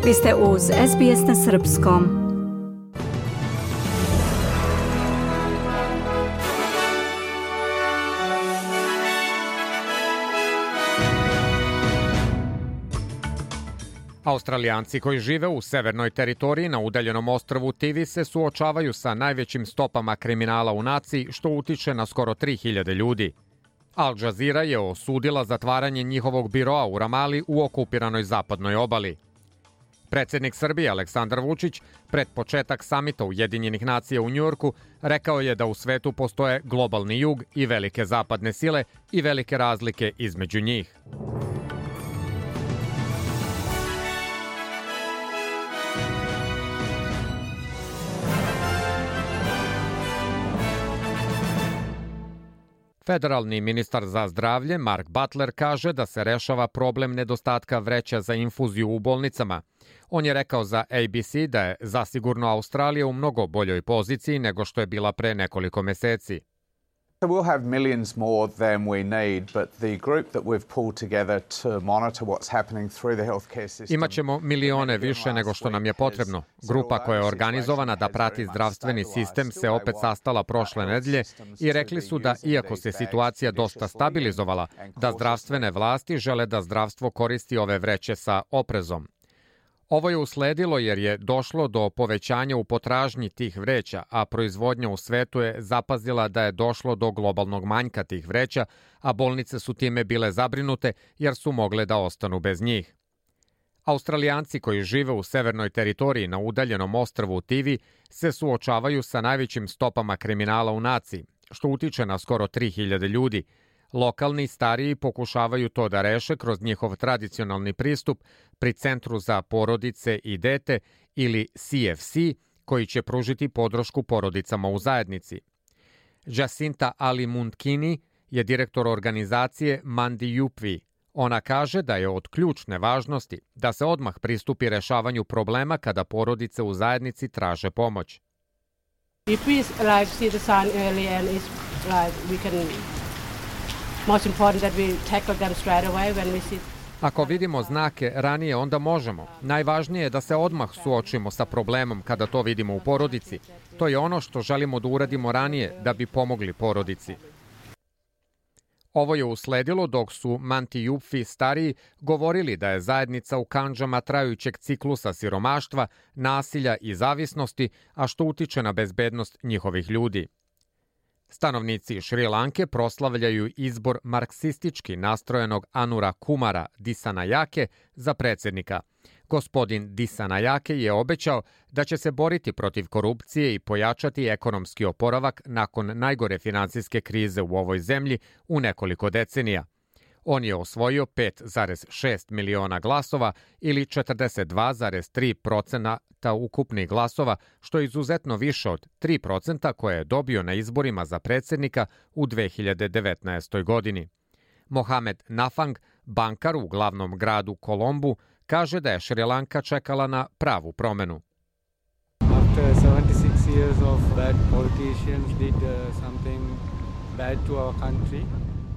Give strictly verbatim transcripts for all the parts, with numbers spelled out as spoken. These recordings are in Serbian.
Vi ste uz S B S na srpskom. Australijanci koji žive u severnoj teritoriji na udaljenom ostrvu Tivi se suočavaju sa najvećim stopama kriminala u naciji, što utiče na skoro tri hiljade ljudi. Al Jazeera je osudila zatvaranje njihovog biroa u Ramali u okupiranoj zapadnoj obali. Predsjednik Srbije Aleksandar Vučić pred početak samita Ujedinjenih nacija u Njujorku rekao je da u svetu postoje globalni jug i velike zapadne sile i velike razlike između njih. Federalni ministar za zdravlje Mark Butler kaže da se rešava problem nedostatka vreća za infuziju u bolnicama. On je rekao za A B C da je zasigurno Australija u mnogo boljoj poziciji nego što je bila pre nekoliko meseci. We'll have millions more than we need, but the group that we've pulled together to monitor what's happening through the healthcare system. Imaćemo milione više nego što nam je potrebno. Grupa koja je organizovana da prati zdravstveni sistem se opet sastala prošle nedelje i rekli su da iako se situacija dosta stabilizovala, da zdravstvene vlasti žele da zdravstvo koristi ove vreće sa oprezom. Ovo je usledilo jer je došlo do povećanja u potražnji tih vreća, a proizvodnja u svetu je zapazila da je došlo do globalnog manjka tih vreća, a bolnice su time bile zabrinute jer su mogle da ostanu bez njih. Australijanci koji žive u severnoj teritoriji na udaljenom ostrvu Tivi se suočavaju sa najvećim stopama kriminala u naciji, što utiče na skoro tri hiljade ljudi. Lokalni stariji pokušavaju to da reše kroz njihov tradicionalni pristup pri Centru za porodice i dete ili C F C, koji će pružiti podršku porodicama u zajednici. Jacinta Ali-Muntkini je direktor organizacije Mandi Yupvi. Ona kaže da je od ključne važnosti da se odmah pristupi rešavanju problema kada porodice u zajednici traže pomoć. If we like see the sign early and it's like we can most important that we tackle them straight away when we see. Ako vidimo znake ranije, onda možemo. Najvažnije je da se odmah suočimo sa problemom kada to vidimo u porodici. To je ono što želimo da uradimo ranije da bi pomogli porodici. Ovo je usledilo dok su Manti Yupvi stariji govorili da je zajednica u kandžama trajućeg ciklusa siromaštva, nasilja i zavisnosti, a što utiče na bezbednost njihovih ljudi. Stanovnici Šri Lanke proslavljaju izbor marksistički nastrojenog Anura Kumara Disanayake za predsjednika. Gospodin Disanayake je obećao da će se boriti protiv korupcije i pojačati ekonomski oporavak nakon najgore finansijske krize u ovoj zemlji u nekoliko decenija. On je osvojio pet zarez šest miliona glasova ili četrdeset dva zarez tri procenta ukupnih glasova, što je izuzetno više od tri procenta koje je dobio na izborima za predsjednika u dve hiljade devetnaestoj. godini. Mohamed Nafang, bankar u glavnom gradu Kolombu, kaže da je Šrilanka čekala na pravu promenu. After seventy-six years of bad politicians did uh, something bad to our country.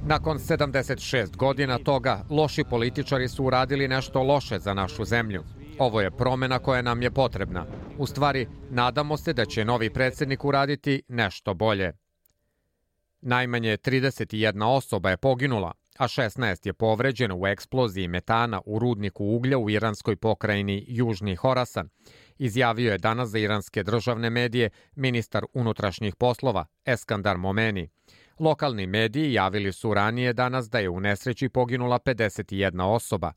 Nakon sedamdeset šest godina toga, loši političari su uradili nešto loše za našu zemlju. Ovo je promena koja nam je potrebna. U stvari, nadamo se da će novi predsjednik uraditi nešto bolje. Najmanje trideset jedna osoba je poginula, a šesnaest je povređeno u eksploziji metana u rudniku uglja u iranskoj pokrajini Južni Horasan, izjavio je danas za iranske državne medije ministar unutrašnjih poslova Eskandar Momeni. Lokalni mediji javili su ranije danas da je u nesreći poginula pedeset jedna osoba.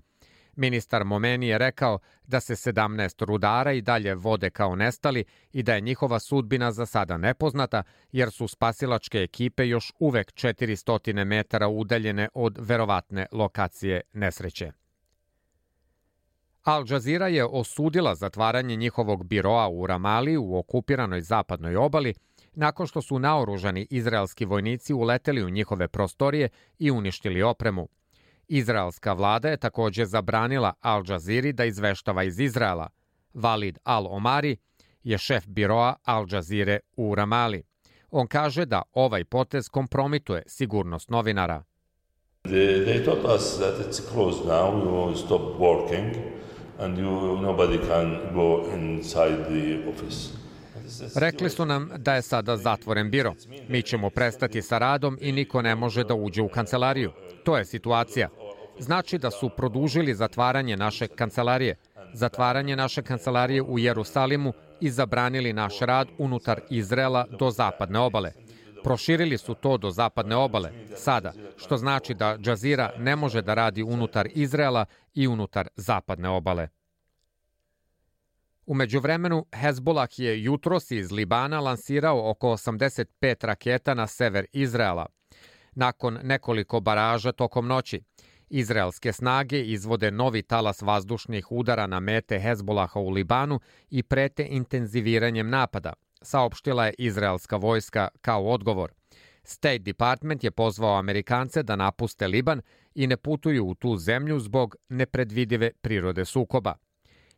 Ministar Momeni je rekao da se sedamnaest rudara i dalje vode kao nestali i da je njihova sudbina za sada nepoznata, jer su spasilačke ekipe još uvek četiristo metara udaljene od verovatne lokacije nesreće. Al Jazeera je osudila zatvaranje njihovog biroa u Ramali u okupiranoj zapadnoj obali nakon što su naoružani izraelski vojnici uleteli u njihove prostorije i uništili opremu. Izraelska vlada je također zabranila Al Jazeeri da izveštava iz Izraela. Walid Al-Omari je šef biroa Al Jazeere u Ramali. On kaže da ovaj potez kompromituje sigurnost novinara. They, they told us that it's closed now, we will stop working. and you, nobody can go inside the office. Rekli su nam da je sada zatvoren biro. Mi ćemo prestati sa radom i niko ne može da uđe u kancelariju. To je situacija. Znači da su produžili zatvaranje naše kancelarije, zatvaranje naše kancelarije u Jerusalimu i zabranili naš rad unutar Izraela do zapadne obale. Proširili su to do zapadne obale sada, što znači da Al Jazeera ne može da radi unutar Izraela i unutar zapadne obale. U međuvremenu, Hezbollah je jutros iz Libana lansirao oko osamdeset pet raketa na sever Izraela. Nakon nekoliko baraža tokom noći, izraelske snage izvode novi talas vazdušnih udara na mete Hezbollaha u Libanu i prete intenziviranjem napada, saopštila je izraelska vojska kao odgovor. State Department je pozvao Amerikance da napuste Liban i ne putuju u tu zemlju zbog nepredvidive prirode sukoba.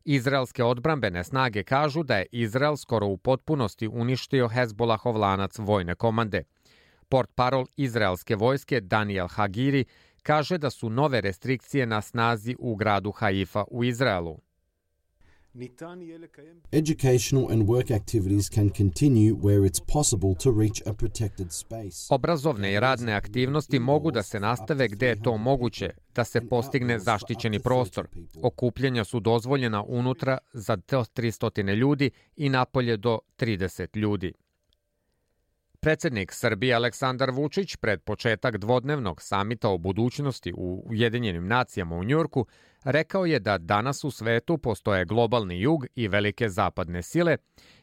Izraelske odbrambene snage kažu da je Izrael skoro u potpunosti uništio Hezbollahov lanac vojne komande. Portparol izraelske vojske Daniel Hagiri kaže da su nove restrikcije na snazi u gradu Haifa u Izraelu. Educational and work activities can continue where it's possible to reach a protected space. Obrazovne i radne aktivnosti mogu da se nastave gde je to moguće, da se postigne zaštićeni prostor. Okupljanja su dozvoljena unutra za do tristo ljudi i napolje do trideset ljudi. Predsednik Srbije Aleksandar Vučić pred početak dvodnevnog samita o budućnosti u Ujedinjenim nacijama u Njujorku rekao je da danas u svetu postoje globalni jug i velike zapadne sile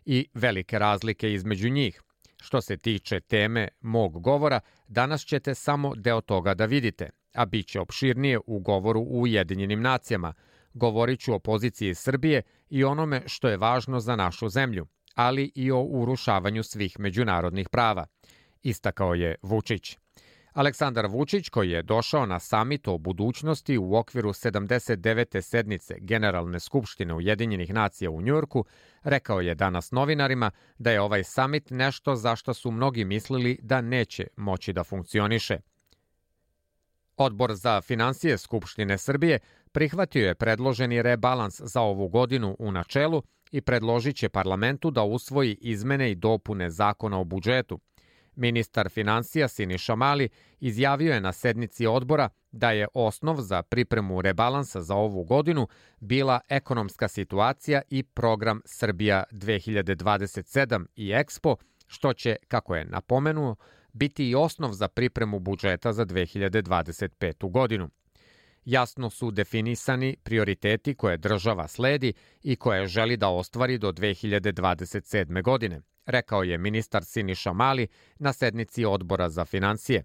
i velike razlike između njih. Što se tiče teme mog govora, danas ćete samo deo toga da vidite, a bit će opširnije u govoru u Ujedinjenim nacijama. Govorit ću o poziciji Srbije i onome što je važno za našu zemlju, ali i o urušavanju svih međunarodnih prava, istakao je Vučić. Aleksandar Vučić, koji je došao na samit o budućnosti u okviru sedamdeset devete sednice Generalne skupštine Ujedinjenih nacija u Njujorku, rekao je danas novinarima da je ovaj samit nešto za što su mnogi mislili da neće moći da funkcioniše. Odbor za finansije Skupštine Srbije prihvatio je predloženi rebalans za ovu godinu u načelu i predložit će parlamentu da usvoji izmene i dopune zakona o budžetu. Ministar finansija Siniša Mali izjavio je na sednici odbora da je osnov za pripremu rebalansa za ovu godinu bila ekonomska situacija i program Srbija dve hiljade dvadeset sedam i Expo, što će, kako je napomenuo, biti i osnov za pripremu budžeta za dve hiljade dvadeset petu godinu. Jasno su definisani prioriteti koje država sledi i koje želi da ostvari do dve hiljade dvadeset sedme godine, rekao je ministar Siniša Mali na sednici odbora za finansije.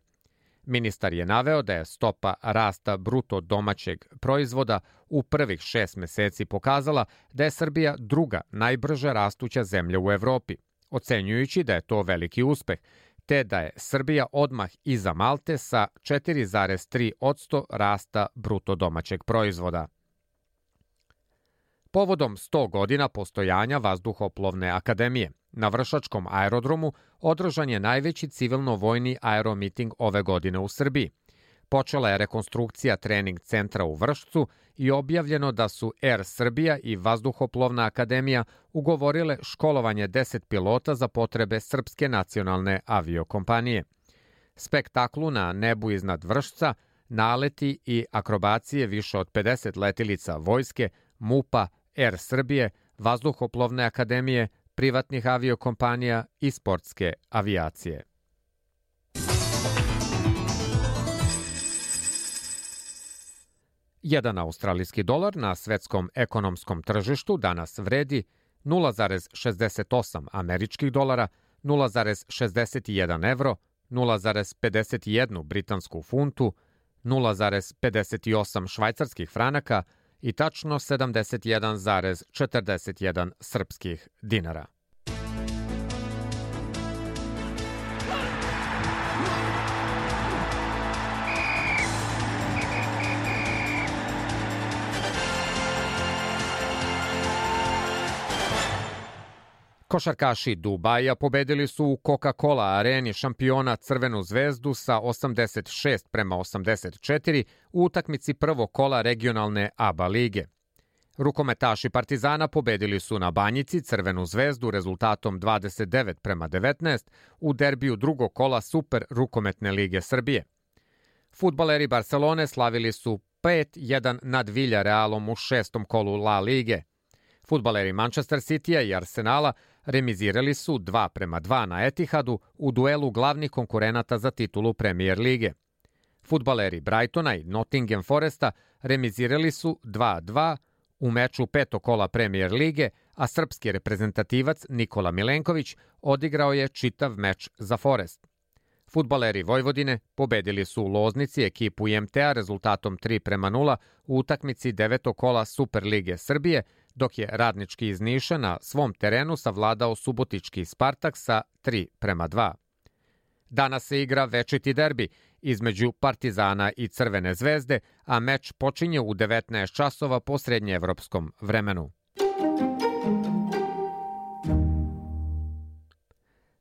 Ministar je naveo da je stopa rasta bruto domaćeg proizvoda u prvih šest meseci pokazala da je Srbija druga najbrže rastuća zemlja u Evropi, ocenjujući da je to veliki uspeh, te da je Srbija odmah iza Malte sa četiri zarez tri posto rasta bruto domaćeg proizvoda. Povodom sto godina postojanja Vazduhoplovne akademije, na Vršačkom aerodromu održan je najveći civilno-vojni aeromiting ove godine u Srbiji. Počela je rekonstrukcija trening centra u Vršcu i objavljeno da su Er Srbija i Vazduhoplovna akademija ugovorile školovanje deset pilota za potrebe Srpske nacionalne aviokompanije. Spektaklu na nebu iznad Vršca, naleti i akrobacije više od pedeset letilica vojske, MUP-a, Er Srbije, Vazduhoplovne akademije, privatnih aviokompanija i sportske avijacije. Jedan australijski dolar na svetskom ekonomskom tržištu danas vredi nula zarez šezdeset osam američkih dolara, nula zarez šezdeset jedan evro, nula zarez pedeset jedan britansku funtu, nula zarez pedeset osam švajcarskih franaka i tačno sedamdeset jedan zarez četrdeset jedan srpskih dinara. Košarkaši Dubaja pobedili su u Coca-Cola areni šampiona Crvenu zvezdu sa osamdeset šest prema osamdeset četiri u utakmici prvog kola regionalne A B A lige. Rukometaši Partizana pobedili su na Banjici Crvenu zvezdu rezultatom dvadeset devet prema devetnaest u derbiju drugog kola Super rukometne lige Srbije. Fudbaleri Barcelone slavili su pet jedan nad Villarrealom u šestom kolu La Lige. Fudbaleri Manchester Citya i Arsenala remizirali su dva prema dva na Etihadu u duelu glavnih konkurenata za titulu Premier lige. Fudbaleri Brightona i Nottingham Foresta remizirali su dva dva u meču petog kola Premier lige, a srpski reprezentativac Nikola Milenković odigrao je čitav meč za Forest. Fudbaleri Vojvodine pobedili su u Loznici ekipu I M T-a rezultatom tri prema nula u utakmici devetog kola Super lige Srbije, dok je Radnički iz Niša na svom terenu savladao subotički Spartak sa tri prema dva. Danas se igra večiti derbi između Partizana i Crvene zvezde, a meč počinje u devetnaest časova po srednjeevropskom vremenu.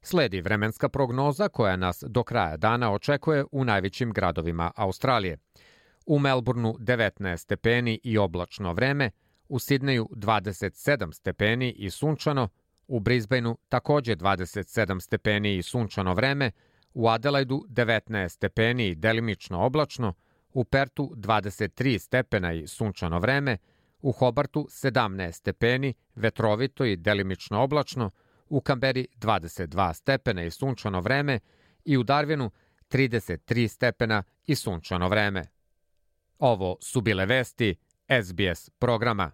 Sledi vremenska prognoza koja nas do kraja dana očekuje u najvećim gradovima Australije. U Melbourneu devetnaest stepeni i oblačno vreme, u Sidneju dvadeset sedam stepeni i sunčano, u Brisbaneu takođe dvadeset sedam stepeni i sunčano vreme, u Adelaidu devetnaest stepeni i delimično oblačno, u Pertu dvadeset tri stepena i sunčano vreme, u Hobartu sedamnaest stepeni, vetrovito i delimično oblačno, u Kamberi dvadeset dva stepena i sunčano vreme i u Darwinu trideset tri stepena i sunčano vreme. Ovo su bile vesti S B S programa.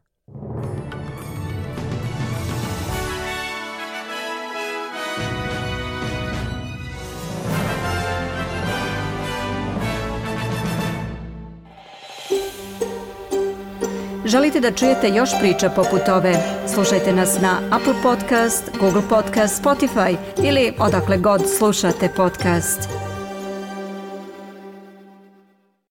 Želite da čujete još priča poput ove? Slušajte nas na Apple Podcast, Google Podcast, Spotify ili odakle god slušate podcast.